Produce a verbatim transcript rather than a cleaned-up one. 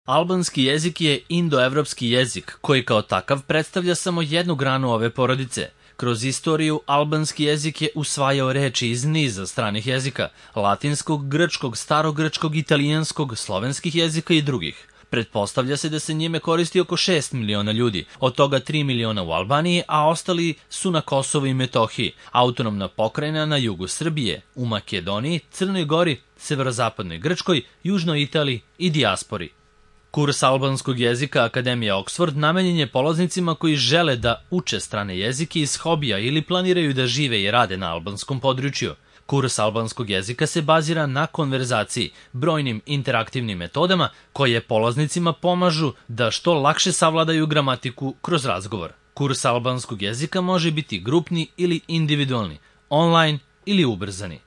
Albanski jezik je indoevropski jezik koji kao takav predstavlja samo jednu granu ove porodice. Kroz istoriju, albanski jezik je usvajao reči iz niza stranih jezika, latinskog, grčkog, starogrčkog, italijanskog, slovenskih jezika i drugih. Pretpostavlja se da se njime koristi oko šest miliona ljudi, od toga tri miliona u Albaniji, a ostali su na Kosovu i Metohiji, autonomna pokrajina na jugu Srbije, u Makedoniji, Crnoj Gori, severozapadnoj Grčkoj, južnoj Italiji i dijaspori. Kurs albanskog jezika Akademije Oxford namenjen je polaznicima koji žele da uče strane jezike iz hobija ili planiraju da žive i rade na albanskom području. Kurs albanskog jezika se bazira na konverzaciji, brojnim interaktivnim metodama koje polaznicima pomažu da što lakše savladaju gramatiku kroz razgovor. Kurs albanskog jezika može biti grupni ili individualni, online ili ubrzani.